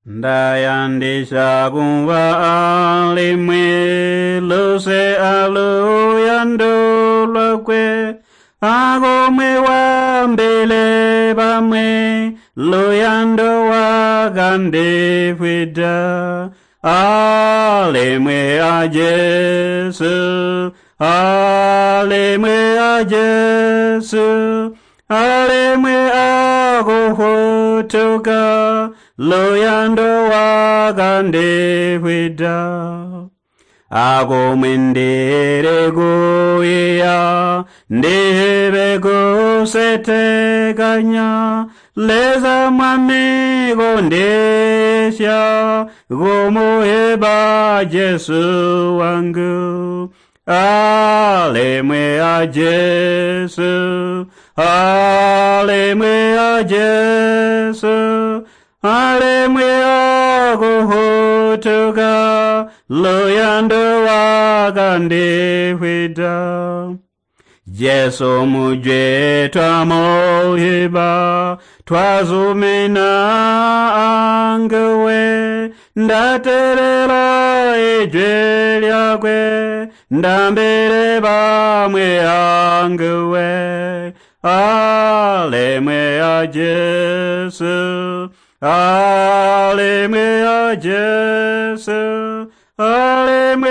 Ndayandisya kumvwa alimwi luse aluyando lwakwe, akumwi waambile bamwi luyando wakandifwida. Alimwi a Jesu, alimwi a Jesu, alimwi akufutuka luyando wakandifwida. Akumwi ndili kuiya ndibe kusetekanya Leza Mwami kundisya kumuheba Jesu wangu. Alimwi a Jesu, alimwi a Jesu, alimwi akufutuka luyando wakandifwida. Jesu mujwi twamuhiba twazumina anguwe, ndatelela ijwi lyakwe, ndambile bamwi anguwe. Alimwi a Jesu, alimwi a Jesu, alimwi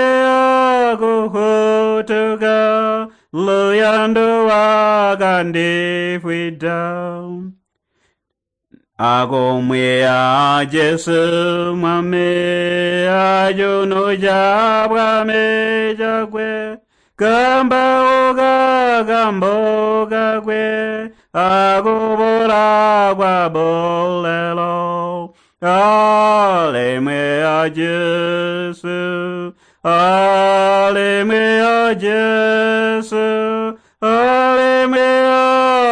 akufutuka luyando wakandifwida. Akumwi a Jesu Mwami acuno ca bwami cakwe, kambauka kambo kakwe, akuboola kwa bulelo. Alimwi a Jesu, alimwi a Jesu, alimwi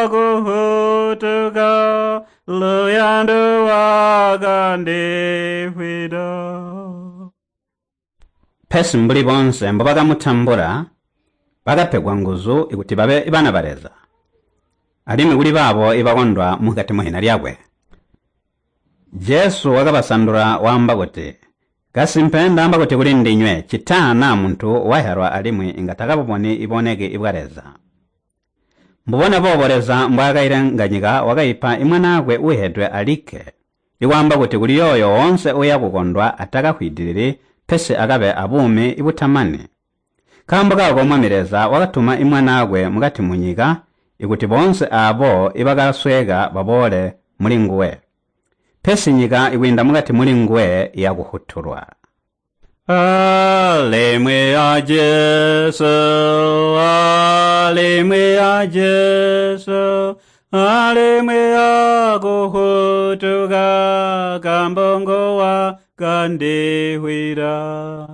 akufutuka luyando wakandifwida. Pesi mbuli boonse mbobakamutambula, bakapegwa nguzu ikuti babe bana ba Leza, alimwi kuli baabo ibakondwa mukati muhina lyakwe. Jesu wakabasandula waamba kuti, Kasimpe ndaamba kuti kuli ndinywe, ccita naa muntu wahyalwa alimwi inga takabuboni iboneki bwa Leza. Mbubona boobo Leza mbwaakailenga nyika wakaipa Mwanaakwe uuhedwe alikke, ikwaamba kuti kuli yooyo woonse uuya kukondwa atakafwidilili pesi akabe abuumi butamani. Nkaambo kaako Mwami Leza wakatuma Mwanaakwe mukati munyika ikuti boonse aabo ibakasweeka baboole mulinguwe. Pesi nyika ikwiinda mukati mulinguwe iyakuhutulwa. Alimwi a Jesu, alimwi a Jesu, alimwi akufutuka kambongo wakandifwida.